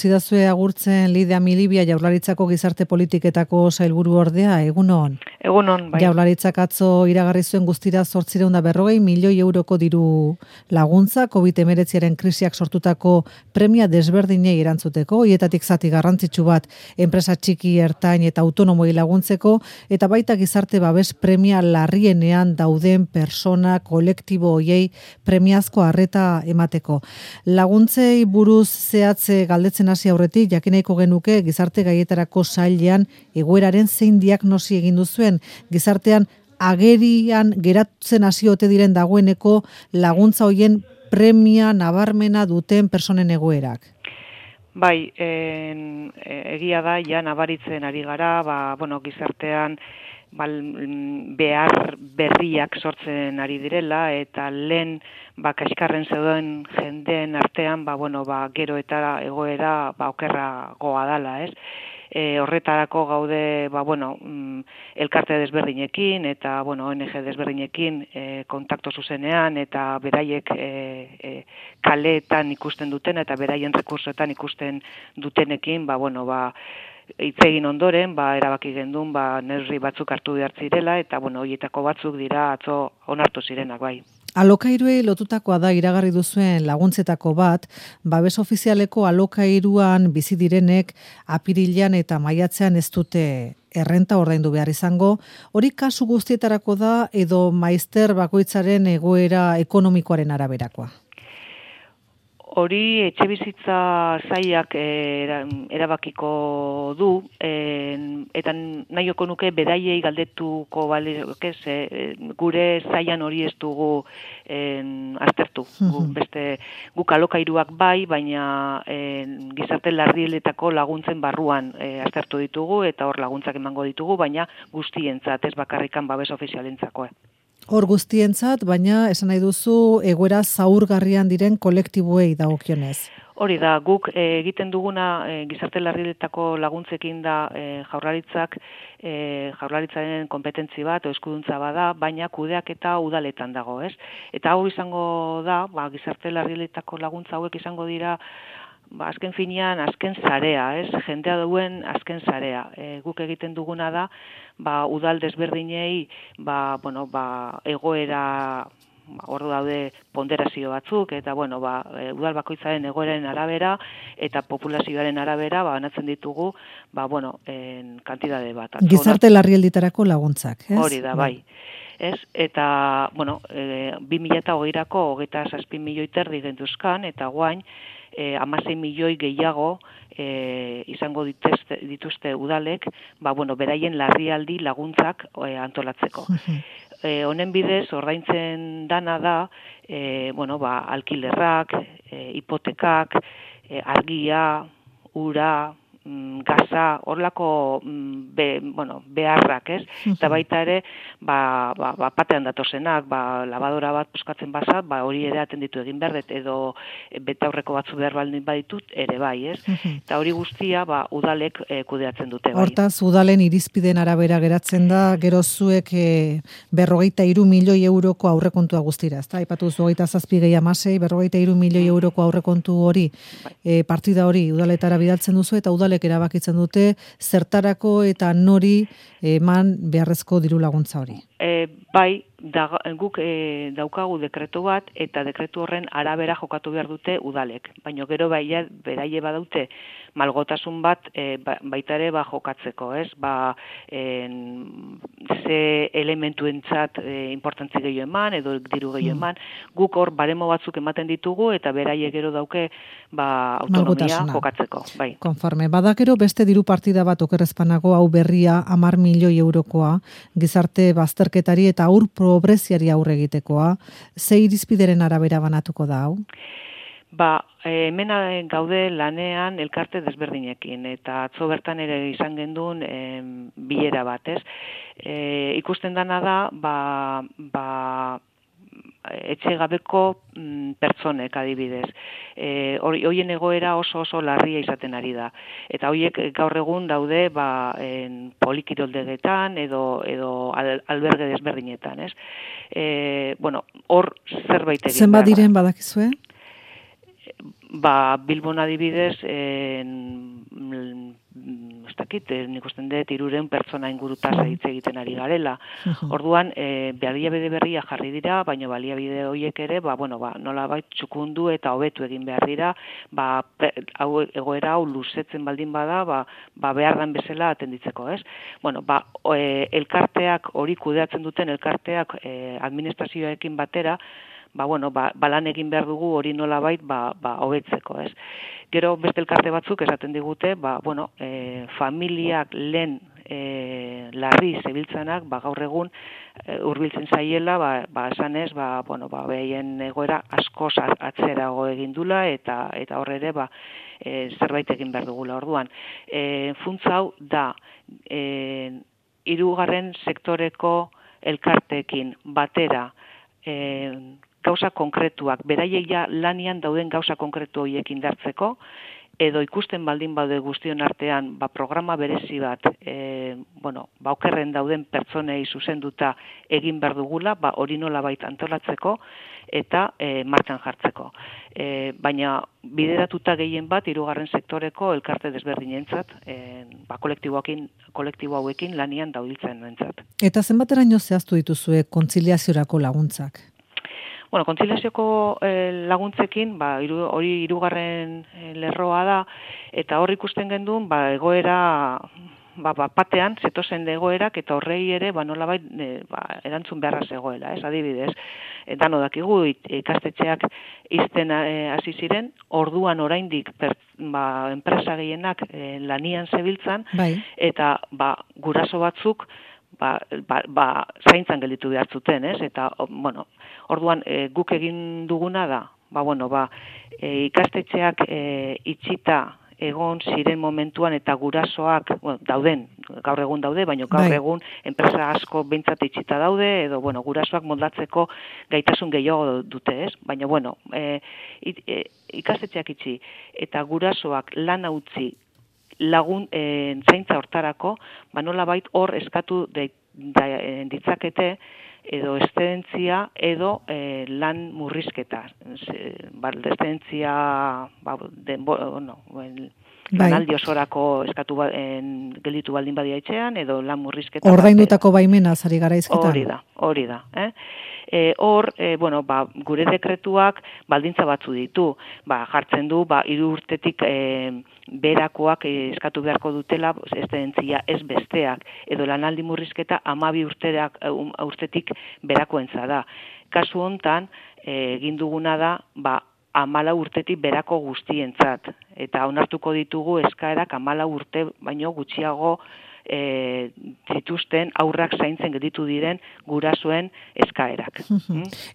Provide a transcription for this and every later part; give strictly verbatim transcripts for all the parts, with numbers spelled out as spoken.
Zidazue agurtzen Lidia Milibia Jaurlaritzako gizarte politiketako sailburu ordea, egunon. Egunon, bai. Jaurlaritzak atzo iragarri zuen guztira zortziehun eta berrogei milioi euroko diru laguntza, covid hemeretziaren krisiak sortutako premia desberdinei erantzuteko, hietatik zati garrantzitsu bat enpresa txiki, ertain eta autonomoi laguntzeko, eta baita gizarte babes premia larrienean dauden persona kolektibo hoiei premiazko arreta emateko. Laguntzei buruz zehatze galdetzen hasi aurretik, jakineiko genuke gizarte gaietarako sailean egoeraren zein diagnosi egin duzuen, gizartean agerian geratzen hasi ote diren dagoeneko laguntza hoien premia nabarmena duten personen egoerak. Bai, en, egia da, ja nabaritzen ari gara, ba, bueno, gizartean bal, behar berriak sortzen ari direla, eta lehen ba, kaskarren zeuden jendeen artean, ba, bueno, ba, gero eta egoera ba, okerragoa dala, ez? E, horretarako gaude, ba, bueno, mm, elkarte desberdinekin eta, bueno, O N G desberdinekin e, kontakto zuzenean eta beraiek e, e, kaleetan ikusten duten eta beraien rekursoetan ikusten dutenekin, ba, bueno, ba, hitz egin ondoren, ba, erabaki gendun, ba, neurri batzuk hartu behar zirela, eta, bueno, horietako batzuk dira atzo onartu zirenak, bai. Alokairuei lotutakoa da iragarri duzuen laguntzetako bat, babes ofizialeko alokairuan bizi direnek apirilean eta maiatzean ez dute errenta ordaindu behar izango. Hori kasu guztietarako da edo maizter bakoitzaren egoera ekonomikoaren araberakoa? Hori etxe bizitza sailak erabakiko du, eta nahioko nuke beraiei galdetuko balioke, gure sailan hori ez dugu aztertu. Beste guk alokairuak bai, baina gizarte larrieletako laguntzen barruan aztertu ditugu, eta hor laguntzak emango ditugu, baina guztientzat, ez bakarrikan babes ofizialentzako. Hor guztientzat, baina esan nahi duzu egoera zaurgarrian diren kolektiboei dagokionez. Hori da, guk e, egiten duguna e, gizarte larrieletako laguntzekin da e, jaurlaritzak, e, jaurlaritzaren kompetentzi bat, o eskuduntza bada, baina kudeak eta udaletan dago, ez? Eta hau izango da, ba, gizarte larrieletako laguntza hauek izango dira, ba, azken finean, azken sarea, ez? Jendea duen azken sarea. E, guk egiten duguna da, ba, udal desberdinei, ba, bueno, ba, egoera, hor daude ponderazio batzuk, eta, bueno, ba, udal bakoitzaren egoeraren arabera, eta populazioaren arabera, ba, banatzen ditugu, ba, bueno, en kantidade bat. Gizarte larrialditarako laguntzak, ez? Hori da, bai. Ez? Eta, bueno, e, bi mila hogeirako hogeita zazpi milioi terdi gentuzkan, eta guain, e, hamasei milioi gehiago e, izango dituzte, dituzte udalek, ba, bueno, beraien larrialdi laguntzak e, antolatzeko. E, honen bidez, ordaintzen dana da, e, bueno, ba, alkilerrak, e, hipotekak, e, argia, ura, gaza, horlako be, bueno, beharrak, ez? Eta baita ere, ba, ba, ba, patean datozenak, ba, labadora bat puskatzen bazat, ba, hori ere atenditu egin behar, edo betaurreko batzu behar baldin baditut, ere bai, ez? Eta hori guztia, ba, udalek e, kudeatzen dute, bai. Hortaz, udalen irizpiden arabera geratzen da, gero zuek e, berrogeita hiru milioi euroko aurrekontua guztira, ezta? Aipatu zu hogeita zazpi gehi hamasei, berrogeita hiru milioi euroko aurrekontu hori, e, partida hori udaletara bidaltzen duzu, eta udalek erabakitzen dute zertarako eta nori eman beharrezko diru laguntza hori. E, bai, da, guk e, daukagu dekretu bat, eta dekretu horren arabera jokatu behar dute udalek. Baina gero baia, beraie badaute malgotasun bat e, ba, baita ere ba, jokatzeko, ez? Ba, en, ze elementuentzat e, importantzi gehiago eman, edo diru gehiago eman. Guk hor baremo batzuk ematen ditugu, eta beraie gero dauke ba, autonomia jokatzeko. Bai. Konforme, badakero beste diru partida bat okerrezpanago hau berria hamar milioi eurokoa, gizarte bazterketari eta aur pobreziari aurre egitekoa, ze irizpideren arabera banatuko da hau? Ba, hemen gaude lanean elkarte desberdinekin, eta atzo bertan ere izan gendun e, bilera bat, ez? E, ikusten dana da, ba, ba, etxe gabeko mm, pertsonek adibidez. E, hoien egoera oso oso larria izaten ari da. Eta horiek gaur egun daude ba, en, polikiroldegetan edo, edo al, alberge desberdinetan, ez? E, bueno, hor zerbait egin. Zenbat diren badakizue? ba, Bilbon adibidez, en, ez dakit, nik usten dut, iruren pertsona ingurutaz hitz egiten ari garela. Orduan, e, baliabide berria jarri dira, baina baliabide horiek ere, ba, bueno, ba, nolabait txukundu eta hobetu egin behar dira, ba, hau, egoera hau luzetzen baldin bada, ba, ba beharran bezala atenditzeko, ez? Bueno, ba, e, elkarteak, hori kudeatzen duten elkarteak e, administrazioekin batera, ba, bueno, ba, balan egin behar dugu hori nolabait ba, ba, hobetzeko, ez? Gero beste elkarte batzuk esaten digute, ba, bueno, e, familiak lehen e, larri zebiltzanak, ba, gaur egun e, hurbiltzen zaiela, ba, ba, esanez, ba, bueno, ba, behien egoera askoz atzerago egin dula, eta, eta horre ere, ba, e, zerbait egin behar dugula orduan. E, funtza hau da, e, hirugarren sektoreko elkarteekin batera, e, gauza konkretuak, beraiek ja lanian dauden gauza konkretu horiek indartzeko, edo ikusten baldin baude guztion artean, ba, programa berezi bat, e, bueno, ba, okerren dauden pertsonei zuzenduta egin behar dugula, ba, hori nolabait antolatzeko, eta e, martxan jartzeko. E, baina bideratuta gehien bat, hirugarren sektoreko elkarte desberdinentzat, e, ba, kolektiboekin, kolektibo hauekin lanian daudeltzen entzat. Eta zenbateraino zehaztu dituzue kontziliaziorako laguntzak? Bueno, kontziliazioko eh, laguntzekin, ba, iru, hori hirugarren eh, lerroa da, eta hor ikusten gendun, ba, egoera, ba, ba, patean, zetozen egoerak, eta horrei ere, ba, nolabait, eh, ba, erantzun beharra zegoela, ez, adibidez. E, dano dakigu, ikastetxeak izten hasi ziren, orduan oraindik per, ba, enpresa gehienak eh, lanian zebiltzan, bai. Eta ba, guraso batzuk, Ba, ba, ba, zaintzan gelditu behar zuten, ez? Eta, bueno, orduan e, guk egin duguna da, ba, bueno, ba, e, ikastetxeak e, itxita egon ziren momentuan eta gurasoak, bueno, dauden, gaur egun daude, baina gaur egun enpresa asko behintzat itxita daude, edo, bueno, gurasoak moldatzeko gaitasun gehiago dute, ez? Baina, bueno, e, it, e, ikastetxeak itxi eta gurasoak lan utzi lagun e, zaintza hortarako, ba nolabait hor eskatu de, da, e, ditzakete edo eszedentzia edo e, lan murrizketa. Ba, eszedentzia, ba, den, bueno, el, lanaldi osorako eskatu ba, en, gelditu baldin badia etxean, edo lan murrizketa. Ordaindutako baimena zari gara izketan. Hori da, hori da. Eh? E, hor, e, bueno, ba, gure dekretuak baldintza batzu ditu. Ba, jartzen du, ba, hiru urtetik e, berakoak eskatu beharko dutela eszedentzia ez besteak, edo lanaldi murrizketa hamabi urteak, urtetik berakoentza da. Kasu hontan, egin e, duguna da, ba, amala urtetik berako guztientzat. Eta onartuko ditugu eskaerak amala urte baino gutxiago e, zituzten aurrak zaintzen gelditu diren gurasoen eskaerak.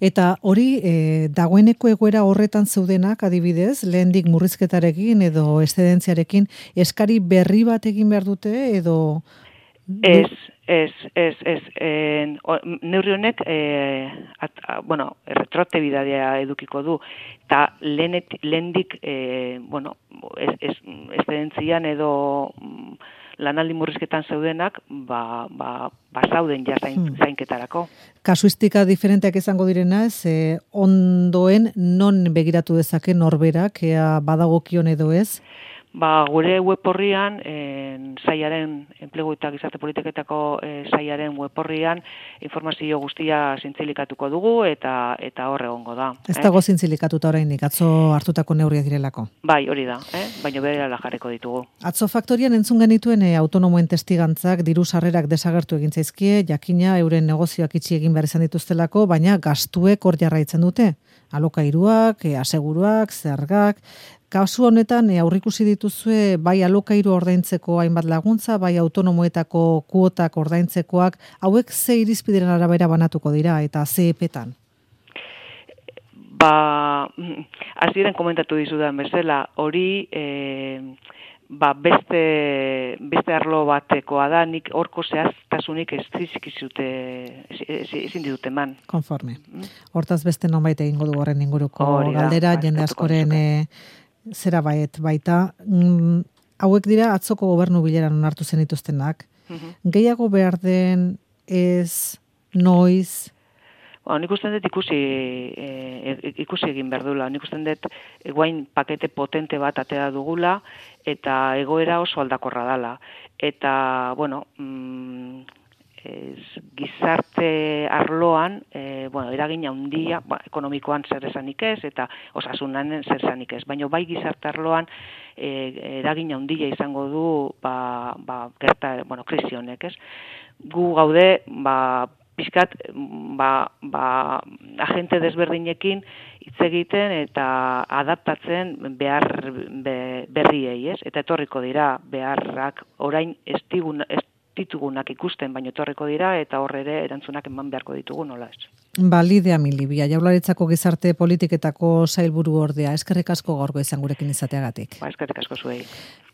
Eta hori e, dagoeneko egoera horretan zeudenak adibidez, lehendik murrizketarekin edo eszedentziarekin eskari berri bat egin behar dute edo... Ez, ez, ez, ez. En, neurri honek, e, at, a, bueno, retroaktibitatea edukiko du, eta lehendik, e, bueno, ez, ez, eszedentzian edo lanaldi murrizketan zeudenak, ba, ba, ba zauden ja zain, hmm. zainketarako. Kasuistika diferenteak izango direna, ez, e, ondoen non begiratu dezake norberak, ea badagokion edo ez? Ba, gure web horrian, en, saiaren, enplegu eta gizarte politiketako e, saiaren web horrian, informazio guztia zintzilikatuko dugu eta eta hor egongo da. Ez dago eh? Zintzilikatuta oraindik, atzo hartutako neurriak direlako. Bai, hori da, eh? Baina berela jarriko ditugu. Atzo faktorian entzun genituen e, autonomoen testigantzak diru sarrerak desagertu egin zaizkie, jakina euren negozioak itxi egin behar izan dituztelako, baina gastuek hor jarraitzen dute. Alokairuak, e, aseguruak, zergak. Kasu honetan e, aurrikusi dituzue bai alokairu ordaintzeko hainbat laguntza, bai autonomoetako kuotak ordaintzekoak, hauek ze irizpideren arabera banatuko dira eta ze epetan? Ba, hasieran komentatu dizudan bezala, hori e, ba, beste, beste arlo batekoa da, nik horko zehaztasunik ez dizkizute, ezin ditut eman. Konforme. Hortaz beste nonbait egingo du horren inguruko galdera, jende askoren zera baiet baita. Mm, hauek dira atzoko gobernu bileran onartu zen dituztenak. Uh-huh. Gehiago behar den ez, noiz? Ba, nik usten dut ikusi, e, ikusi egin behar dula. Nik usten dut guain pakete potente bat atea dugula eta egoera oso aldakorra dala. Eta, bueno, mm, ez, gizarte arloan, e, bueno, eragin handia, ba, ekonomikoan zer esanik ez, eta osasunan zer esanik ez. Baina bai gizarte arloan e, eragin handia izango du, ba, ba, gerta, bueno, krisi honek, ez? Gu gaude, ba, pixkat, ba, ba, agente desberdinekin hitz egiten eta adaptatzen behar be, berriei, ez? Eta etorriko dira beharrak orain ez digun, ez ditugunak ikusten, baino etorriko dira eta horre ere erantzunak eman beharko ditugu, nola ez. Ba, Lidia Milibia, Jaurlaritzako gizarte politiketako sailburu ordea, eskerrik asko gaurko izan gurekin izateagatik. Ba, eskerrik asko zuei.